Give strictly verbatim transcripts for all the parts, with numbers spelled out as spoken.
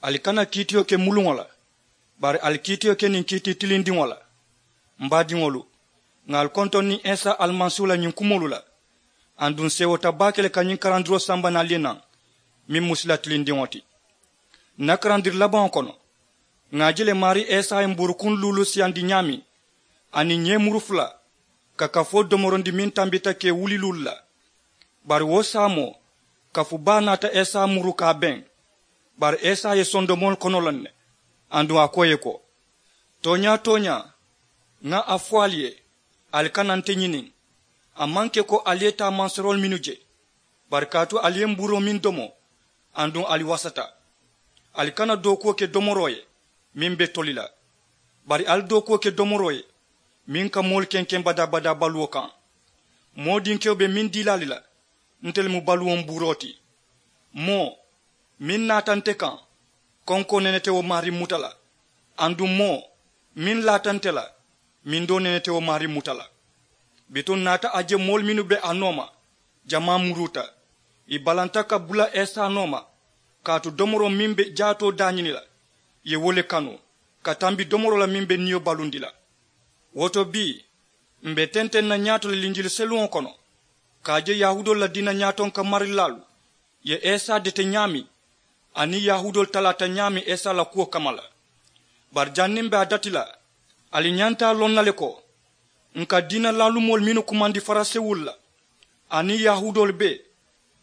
Ali kana kiitiyo ke muluŋo la, bari ali kiitiyo ke niŋ kiiti tilindiŋo la. M baadiŋolu, ŋà ali kontoŋ niŋ isa alimasiihu la ñiŋ kumoolu la. Aduŋ seewota baake le ka ñiŋ karandiroo samba naŋ ali ye naŋ, meŋ mu sila tilindiŋo ti. N na karandiri labaŋo kono, ŋà a je le maarii isa ye mbuurukuŋ luulu siyandi ñaameŋ, aniŋ ñeemuru fula, ka kafoo domorondi meŋ tambita ka ì wuli luulu la. Bari wo saamoo, kafu baa naata isa muru ka a beŋ. Bari isa ye sondomoolu kono loŋ ne, aduŋ a ko ì ye ko, tooñaa tooñaa, ŋa a fo ali ye, ali kana nte ñini. A maŋ ke ko ali ye taa manseroolu mennu je, bari kaatu ali ye mbuuroo meŋ domo, aduŋ ali wasata. Ali kana dookuwo ke domoroo ye, meŋ be toli la, bari ali dookuwo ke domoroo ye, meŋ ka moolu kenkeŋ badaa badaa baluwo kaŋ. Moo dinkewo be meŋ dii la ali la, nte le mu baluwo mbuuroo ti. Moo meŋ naata nte kaŋ, konkoo nene te wo maarii muta la. Aduŋ moo meŋ laata nte la, mindoo nene te wo maarii muta la. Bituŋ n naata a je moolu mennu be a nooma, jamaa muruuta. Ì balanta ka bula isa nooma, kaatu domoroo meŋ be jaatoo daañini la, ì ye wo le kanu ka tambi domoroo la meŋ be niyo balundi la. Wo to bii, m be tenteŋ na ñaato le linjili seluŋo kono, ka a je yahuudoolu la diina ñaatonka marilaalu ye isa dete ñaameŋ, aniŋ yahuudoolu talaata ñaameŋ isa la kuwo kamma la. Bari janniŋ m be a dati la, ali ñanta a loŋ na le ko, n ka diina laalumoolu mennu kumandi farisewolu la, aniŋ yahuudoolu bee,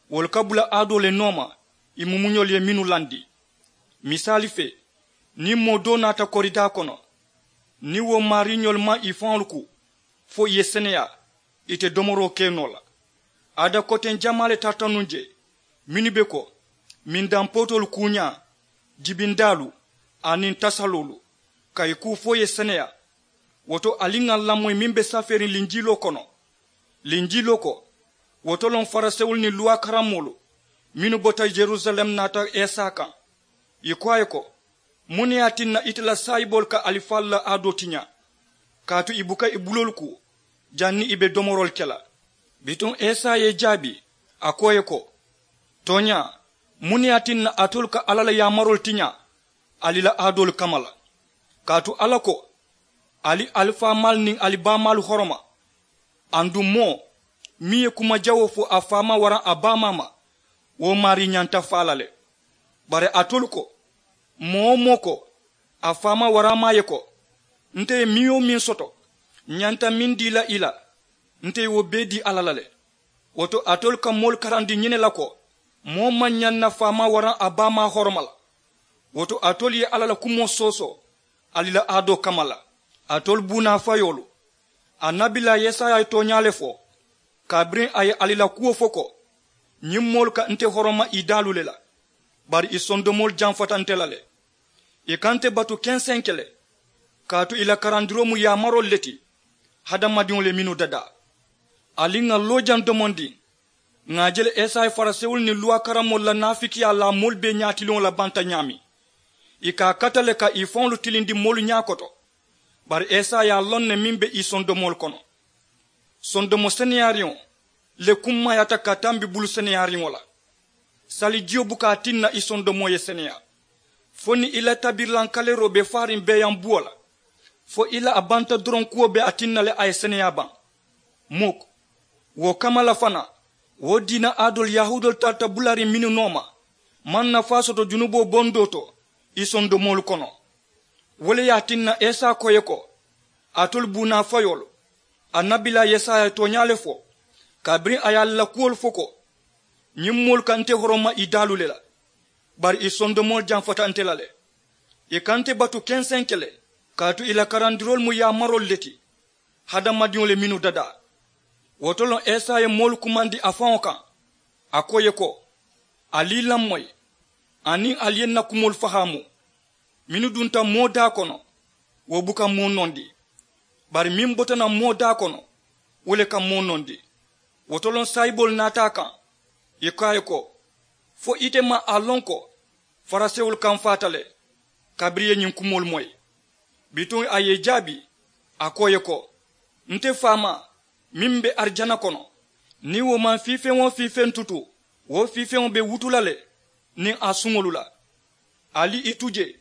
wolu ka bula aadoo le nooma, ì mumuñolu ye mennu landi. Misaali fee, niŋ moo doo naata koridaa kono, niŋ wo maariiñolu maŋ ì faŋolu kuu, fo ì ye seneyaa, ì te domoroo ke noo la. Aada koteŋ jamaa le tarata nuŋ je, mennu be ko, mindampotoolu kuuñaa, jibindaalu, aniŋ tasaloolu, ka ì kuu fo ì ye seneyaa. Wo to ali ŋà lamoyi meŋ be safeeriŋ linjiloo kono. Linjiloo ko, wo to loŋ farisewolu niŋ luwaa karammoolu mennu bota yerusalem naata isa kaŋ. Ì ko a ye ko, muŋ ne ye a tinna ite la saayiboolu ka alifaalu la aadoo tiñaa, kaatu ì buka ì buloolu kuu, janniŋ ì be domoroolu ke la? Bituŋ isa ye ì jaabi, a ko ì ye ko, tooñaa, muŋ ne ye a tinna alitolu ka alla la yaamaroolu tiñaa ali la aadoolu kamma la? Kaatu alla ko, ali ali faamaalu niŋ ali baamaalu horoma. Aduŋ moo meŋ ye kuma jawoo fo a faamaa waraŋ a baamaa ma, wo maarii ñanta faa la le. Bari alitolu ko, moo-wo-moo ko a faamaa waraŋ a maa ye ko, nte ye meŋ-wo-meŋ soto, ǹ ñanta meŋ dii la i la, nte ye wo bee dii alla la le. Wo to alitolu ka moolu karandi ñiŋ ne la ko, moo maŋ ñaŋ na faamaa waraŋ a baamaa horoma la. Wo to alitolu ye alla la kumoo soosoo ali la aadoo kamma la. Alitolu buunaa fayoolu, annabilaa yesaya ye tooñaa le fo, kabiriŋ a ye ali la kuwo fo ko, ñiŋ moolu ka nte horoma ì daalu le la, bari ì sondomoolu jamfata nte la le. Ì ka nte batu kenseŋ ke le, kaatu ì la karandiroo mu yaamaroolu le ti, hadamadiŋolu ye mennu dadaa. Ali ŋà loojaŋ domondiŋ, ŋà a je le isa ye farisewolu niŋ luwaa karammoolu la naafikiyaa laa moolu bee ñaatiliŋo la banta ñaameŋ. Ì ka a kata le ka ì faŋolu tilindi moolu ñaa koto. Bari isa ye a loŋ ne meŋ be ì sondomoolu kono. Sondomo seneyaariŋo le kummaayaata ka tambi bulu seneyaariŋo la. Sali jiyo buka a tinna ì sondomoo ye seneyaa, fo niŋ ì la tabirilaŋ kaleeroo be faariŋ beeyaŋ buwo la, fo ì la a banta doroŋ kuwo be a tinna le a ye seneyaa baŋ. Muk. Wo kamma la fanaa, wo diina aadoolu yahuudoolu tarata bulariŋ mennu nooma, maŋ nafaa soto junuboo bondoo to ì sondomoolu kono. Wo le ye a tinna isa ko ì ye ko, alitolu buunaa fayoolu, annabilaa yesaya ye tooñaa le fo, kabiriŋ a ye ali la kuwolu fo ko, ñiŋ moolu ka nte horoma ì daalu le la, bari ì sondomoolu jamfata nte la le. Ì ka nte batu kenseŋ ke le, kaatu ì la karandiroolu mu yaamaroolu le ti, hadamadiŋolu ye mennu dadaa. Wo to loŋ isa ye moolu kumandi a faŋo kaŋ, a ko ì ye ko, ali ì lamoyi, aniŋ ali ye ǹ na kumoolu fahaamu. Mennu dunta moo daa kono, wo buka moo nondi, bari meŋ bota naŋ moo daa kono, wo le ka moo nondi. Wo to loŋ saayiboolu naata a kaŋ, ì ko a ye ko, fo ite maŋ a loŋ ko farisewolu kamfaata le, kabiriŋ ì ye ñiŋ kumoolu moyi? Bituŋ a ye ì jaabi, a ko ì ye ko, nte faamaa meŋ be arijana kono, niŋ wo maŋ fiifeŋ-wo-fiifeŋ tutu, wo fiifeŋo be wutu la le niŋ a suŋolu la. Ali i tu jee,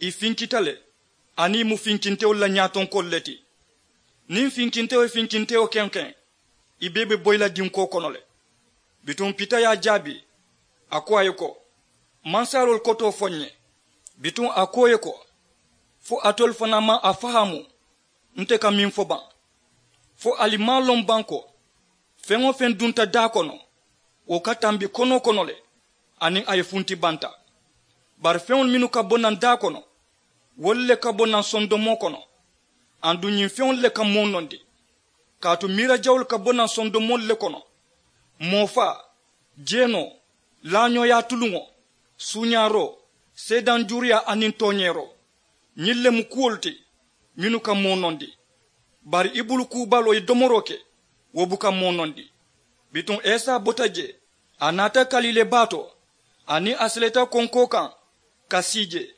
i finkita le, aniŋ i mu finkintewolu la ñaatonkoolu le ti. Niŋ finkintewo ye finkintewo kenkeŋ, i bee be boyi la dinkoo kono le. Bituŋ pita ye a jaabi, a ko a ye ko, mansaaloolu kotoo fo n ye. Bituŋ a ko i ye ko, fo alitolu fanaa maŋ a fahaamu nte ka meŋ fo baŋ? Fo ali maŋ a loŋ baŋ ko feŋ-wo-feŋ dunta daa kono, wo ka tambi konoo kono le, aniŋ a ye funti banta. Bari feŋolu mennu ka bo naŋ daa kono, wolu le ka bo naŋ sondomoo kono. Aduŋ ñiŋ feŋolu le ka moo nondi, kaatu miira jawolu ka bo naŋ sondomoolu le kono. Moo faa, jeenoo, laañooyaa tuluŋo, suuñaaroo, seedanjuuruyaa aniŋ tooñeeroo, ñiŋ le mu kuwolu ti mennu ka moo nondi. Bari i bulu kuu baloo ye domoroo ke, wo buka moo nondi. Bituŋ esa bota jee, a naata kaliilee baa to, aniŋ a seleta konkoo kaŋ ka sii jee.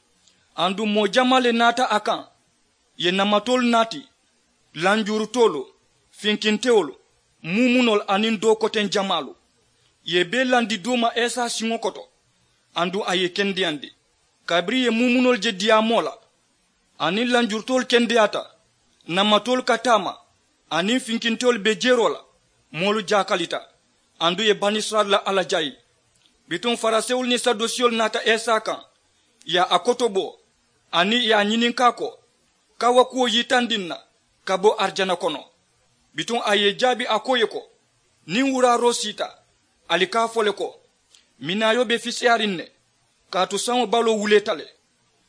Aduŋ moo jamaa le naata a kaŋ, ì ye namatoolu naati, lanjuurutoolu, finkintewolu, muumunoolu aniŋ doo koteŋ jamaalu. Ì ye i bee landi duuma esa siŋo koto, aduŋ a ye i kendeyandi. Kabiriŋ ì ye muumunoolu je diyaamoo la, aniŋ lanjurutoolu kendeyaata, namatoolu ka taama, aniŋ finkintewolu be jeroo la, moolu jaakalita, aduŋ ì ye banisirayila la alla jaayi. Bituŋ farisewolu niŋ sadusewolu naata esa kaŋ, ì ye a kotobo, aniŋ ì ye a ñininkaa ko, ka wo kuwo yitandi n na ka bo arijana kono? Bituŋ a ye i jaabi a ko ì ye ko, niŋ wuraaroo siita, ali ka a fo le ko, minaayoo be fiseyaariŋ ne, kaatu saŋo baloo wuleeta le.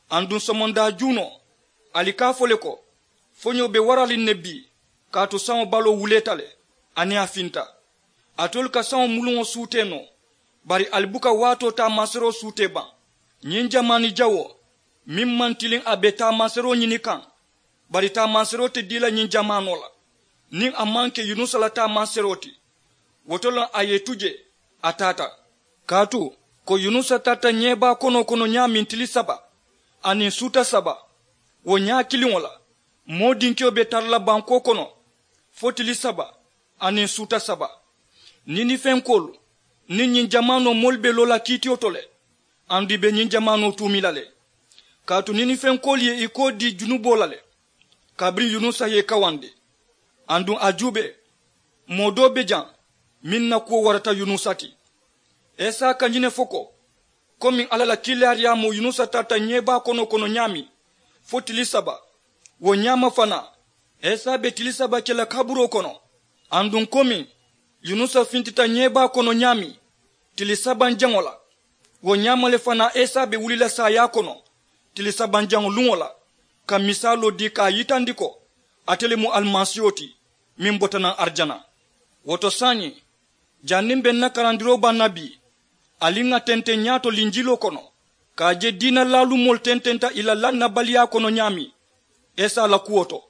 Aduŋ somondaa juunoo, ali ka a fo le ko, foñoo be waraliŋ ne bii, kaatu saŋo baloo wuleeta le, aniŋ a finta. Alitolu ka saŋo muluŋo suutee noo, bari ali buka waatoo taamaseroo suutee baŋ. Ñiŋ jamaani jawoo, meŋ maŋ tiliŋ a be taamaseroo ñini kaŋ, bari taamaseroo te dii la ñiŋ jamaanoo la, niŋ a maŋ ke yunusa la taamaseroo ti. Wo to le a ye i tu jee, a taata. Kaatu, ko yunusa tarata ñeebaa konoo kono ñaameŋ tili saba, aniŋ suuta saba, wo ñaa kiliŋo la, moo dinkewo be tara la bankoo kono fo tili saba, aniŋ suuta saba. Ninifenkoolu niŋ ñiŋ jamaanoo moolu be loo la kiitiyo to le, aduŋ ì be ñiŋ jamaanoo tuumi la le. Kaatu ninifenkoolu ye i koo dii junuboo la le, kabiriŋ yunusa ye i kawandi. Aduŋ a juubee, moo doo be jaŋ meŋ na kuwo warata yunusa ti. Esa ka ñiŋ ne fo ko, komiŋ alla la kiilaariyaamoo yunusa tarata ñeebaa konoo kono ñaameŋ fo tili saba, wo ñaama fanaa esa be tili saba ke la kaburoo kono. Aduŋ komiŋ yunusa fintita ñeebaa kono ñaameŋ tili sabanjaŋo la, wo ñaama le fanaa esa be wuli la saayaa kono tili sabanjaŋo luŋo la, ka misaaloo dii ka a yitandi ko ate le mu alimasiiho ti, meŋ bota naŋ arijana. Wo to saayiŋ, janniŋ be n na karandiroo baŋ na bii, ali ŋà tenteŋ ñaato linjiloo kono, ka a je diina laalumoolu tententa ì la lannabaliyaa kono ñaameŋ esa la kuwo to.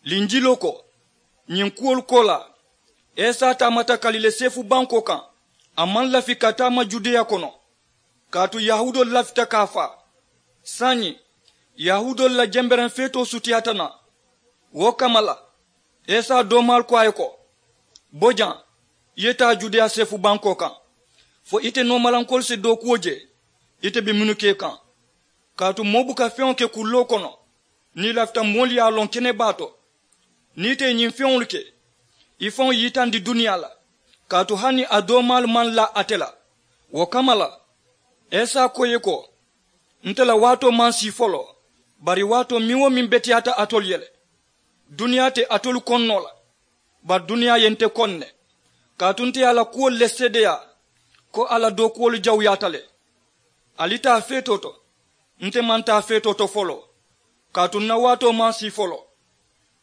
Linjiloo ko, ñiŋ kuwolu koolaa, esa taamata kaliile seefu bankoo kaŋ, a maŋ lafi ka taama judeya kono, kaatu yahuudoolu lafita ka a faa. Saayiŋ, yahuudoolu la jembereŋ feetoo sutiyaata naŋ. Wo kamma la, esa doomaalu ko a ye ko, bo jaŋ, i ye taa judeya seefu bankoo kaŋ, fo ite noomalankoolu si dookuwo je ite be mennu ke kaŋ. Kaatu moo buka feŋo ke kulloo kono niŋ i lafita moolu ye a loŋ kene baa to. Niŋ ite ye ñiŋ feŋolu ke, i faŋo ye yitandi duniyaa la, kaatu hani a doomaalu maŋ laa ate la. Wo kamma la, esa ko i ye ko, nte la waatoo maŋ sii foloo, bari waatoo meŋ-wo-meŋ beteyaata alitolu ye le. Duniyaa te alitolu koŋ noo la, bari duniyaa ye nte koŋ ne, kaatu nte ye a la kuwolu le seedeyaa, ko a la dookuwolu jawuyaata le. Ali taa feetoo to, nte maŋ taa feetoo to foloo, kaatu n na waatoo maŋ sii foloo.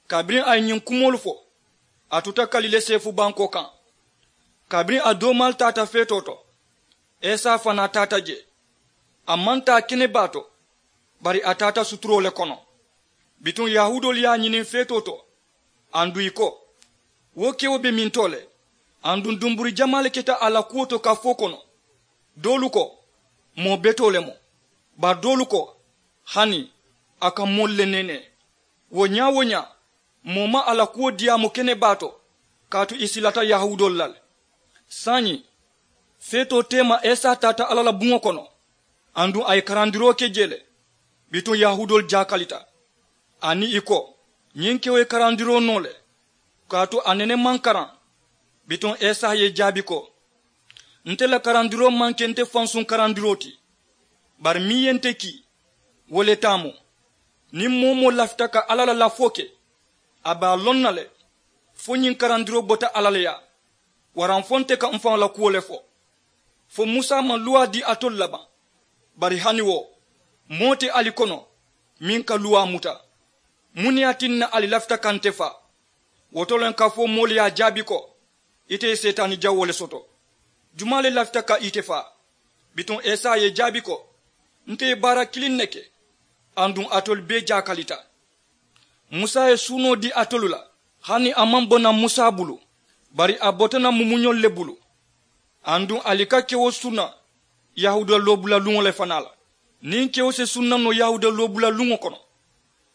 Kabiriŋ a ye ñiŋ kumoolu fo, a tuta kaliile seefu bankoo kaŋ. Kabiriŋ a doomaalu taata feetoo to, esa fanaa taata jee. A maŋ taa kene baa to, bari a taata suturoo le kono. Bituŋ yahuudoolu ye a ñiniŋ feetoo to, aduŋ ì ko, wo kewo be mintoo le? Aduŋ dumburi jamaa le keta a la kuwo to kafoo kono. Doolu ko, moo betoo le mu. Bari doolu ko, hani a ka moolu le neenee. Wo ñaa-wo-ñaa, moo maŋ a la kuwo diyaamu kene baa to, kaatu ì silata yahuudoolu la le. Saayiŋ, feetoo teema esa taata alla la buŋo kono. Aduŋ a ye karandiroo ke jee le. Bituŋ yahuudoolu jaakalita, aniŋ ì ko, ñiŋ kewo ye karandiroo noo le, kaatu a nene maŋ karaŋ. Bituŋ esa ye ì jaabi ko, nte la karandiroo maŋ ke nte fansuŋ karandiroo ti, bari meŋ ye nte kii, wo le taa mu. Niŋ moo-wo-moo lafita ka alla la lafoo ke, a be a loŋ na le, fo ñiŋ karandiroo bota alla le yaa, waraŋ fo nte ka m̀ faŋo la kuwo le fo. Fo musa maŋ luwaa dii alitolu la baŋ? Bari hani wo, moo te ali kono meŋ ka luwaa muta. Muŋ ne ye a tinna ali lafita ka nte faa? Wo to le kafoo moolu ye a jaabi ko, ite ye seetaani jawoo le soto. Jumaa le lafita ka ite faa? Bituŋ esa ye ì jaabi ko, nte ye baara kiliŋ ne ke. Aduŋ alitolu bee jaakalita. Musa ye suunoo dii alitolu la, hani a maŋ bo naŋ musa bulu, bari a bota naŋ mumuñolu le bulu. Aduŋ ali ka kewo sunna yahuuda loobula luŋo le fanaa la. Niŋ kewo si sunna noo yahuuda loobula luŋo kono,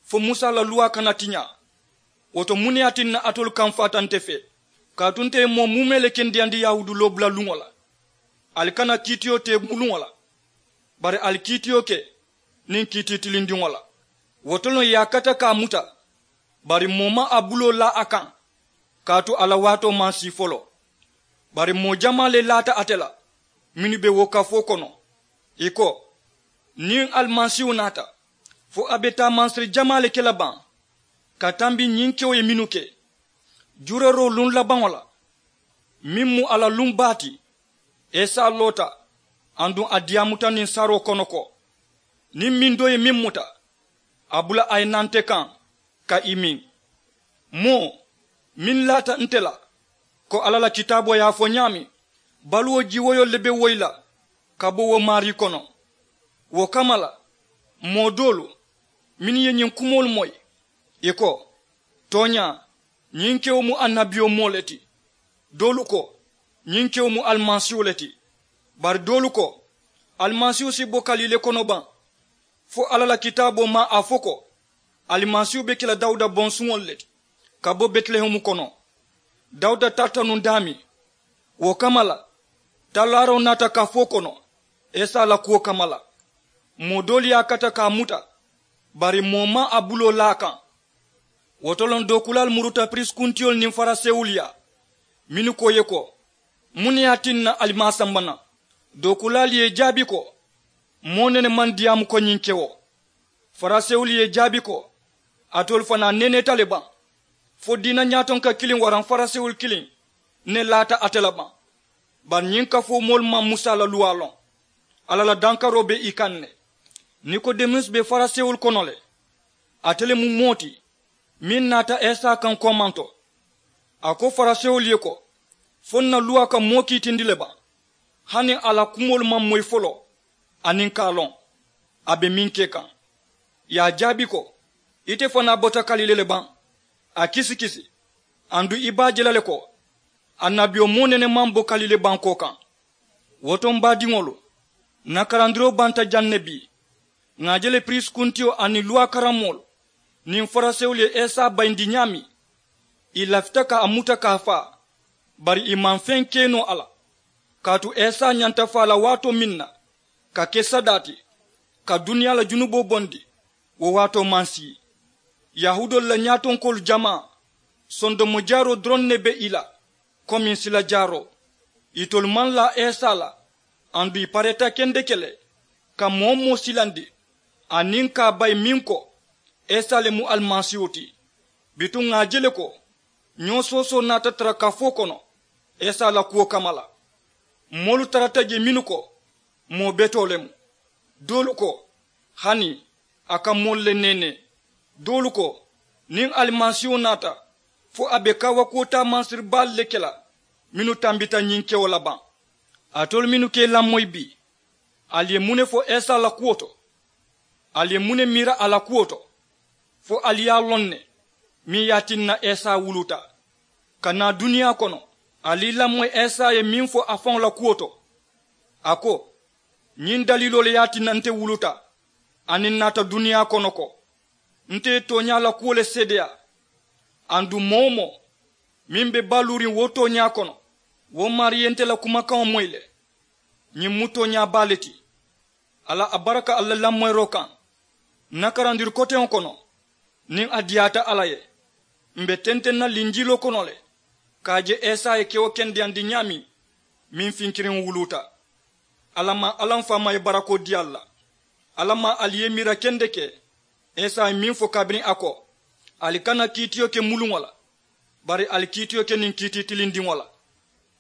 fo musa la luwaa kana tiñaa. Wo to muŋ ne ye a tinna alitolu kamfaata nte fee? Kaatu nte ye moo muumee le kendeyandi yahuudu loobula luŋo la. Ali kana kiitiyo tee muluŋo la, bari ali kiitiyo ke niŋ kiitii tilindiŋo la. Wo to le ye a kata ka a muta, bari moo maŋ a buloo laa a kaŋ, kaatu a la waatoo maŋ sii foloo. Bari moo jamaa le laata ate la mennu be wo kafoo kono, ì ko, niŋ alimasiihu naata, fo a be taamansiri jamaa le ke la baŋ ka tambi ñiŋ kewo ye mennu ke jureeroo luŋ labaŋo la, meŋ mu a la luŋ baa ti. Esa loota aduŋ a diyaamuta niŋ saroo kono ko, niŋ meŋ doo ye meŋ muta, a bula a ye naa nte kaŋ ka ì miŋ. Moo meŋ laata nte la, ko alla la kitaaboo ye a fo ñaameŋ, baluwo jiiwoyoo le be woyi la ka bo wo maarii kono. Wo kamma la, moo doolu mennu ye ñiŋ kumoolu moyi, ì ko, tooñaa, ñiŋ kewo mu annabiyomoo le ti. Doolu ko, ñiŋ kewo mu alimasiihu le ti. Bari doolu ko, alimasiihu si bo kalii le kono baŋ? Fo alla la kitaaboo maŋ a fo ko, alimasiihu be ke la dawuda bonsuŋolu le ti ka bo betilehemu kono. Dawuda tarata nuŋ daameŋ. Wo kamma la, talaaroo naata kafoo kono esa la kuwo kamma la. Moo doolu ye a kata ka a muta, bari moo maŋ a buloo laa a kaŋ. Wo to le dookulaalu muruta piriisi kuntiyolu niŋ farisewolu yaa, mennu ko ì ye ko, muŋ ne ye a tinna ali maŋ a samba naŋ? Dookulaalu ye ì jaabi ko, moo nene maŋ diyaamu ko ñiŋ kewo. Farisewolu ye ì jaabi ko, alitolu fanaa neneeta le baŋ? Fo diina ñaatonka kiliŋ waraŋ farisewolu kiliŋ ne laata ate la baŋ? Bari ñiŋ kafoo moolu maŋ musa la luwaa loŋ. Alla la dankaroo be ì kaŋ ne. Nikodemusi be farisewolu kono le. Ate le mu moo ti meŋ naata esa kaŋ koomanto. A ko farisewolu ye ko, fo n na luwaa ka moo kiitindi le baŋ, hani a la kumoolu maŋ moyi foloo, aniŋ ka a loŋ a be meŋ ke kaŋ? Ì ye a jaabi ko, ite fanaa bota kalile le baŋ? A kisikisi. Aduŋ i be a je la le ko, annabiyomoo nene maŋ bo kalile bankoo kaŋ. Wo to m baadiŋolu, n na karandiroo banta jaŋ ne bii. Ŋà a je le piriisi kuntiyo aniŋ luwaa karammoolu niŋ farisewolu ye esa bayindi ñaameŋ, ì lafita ka a muta ka a faa. Bari ì maŋ feŋ ke noo a la. Kaatu esa ñanta faa la waatoo meŋ na ka ke sadaa ti, ka duniyaa la junuboo bondi, wo waatoo maŋ sii. Yahuudoolu la ñaatonkoolu jamaa, sondomo jaaroo doroŋ ne be ì la, komiŋ sila jaaroo. Itolu maŋ laa esa la, aduŋ ì pareeta kendeke le ka moo-wo-moo silandi, aniŋ ka a bayi meŋ ko esa le mu alimasiihu ti. Bituŋ ŋà a je le ko, ñoo soosoo naata tara kafoo kono esa la kuwo kamma la. Moolu tarata jee mennu ko, moo betoo le mu. Doolu ko, hani a ka moolu le neenee. Doolu ko, niŋ alimasiiho naata, fo a be kaawakuwo taamansiri baalu le ke la mennu tambita ñiŋ kewo la baŋ? Alitolu mennu ka ì lamoyi bii, ali ye muŋ ne fo esa la kuwo to? Ali ye muŋ ne miira a la kuwo to? Fo ali ye a loŋ ne meŋ ye a tinna esa wuluta ka naa duniyaa kono? Ali lamoyi esa ye meŋ fo a faŋo la kuwo to? A ko, ñiŋ daliiloo le ye a tinna nte wuluta aniŋ n naata duniyaa kono ko, nte ye tooñaa la kuwo le seedeyaa. Aduŋ moo-wo-moo meŋ be baluuriŋ wo tooñaa kono, wo maarii ye nte la kumakaŋo moyi le. Ñiŋ mu tooñaa baa le ti. Alla a baraka ali la lamoyiroo kaŋ. N na karandiri koteŋo kono, niŋ a diyaata alla ye, m̀ be tenteŋ na linjiiloo kono le ka a je esa ye kewo kendeyandi ñaameŋ, meŋ finkiriŋo wuluuta. Alla maŋ alla m faamaa ye barakoo dii ali la. Alla maŋ ali ye miira kendeke. Esa ye meŋ fo kabiriŋ a ko, ali kana kiitiyo ke muluŋo la, bari ali kiitiyo ke niŋ kiitii tilindiŋo la.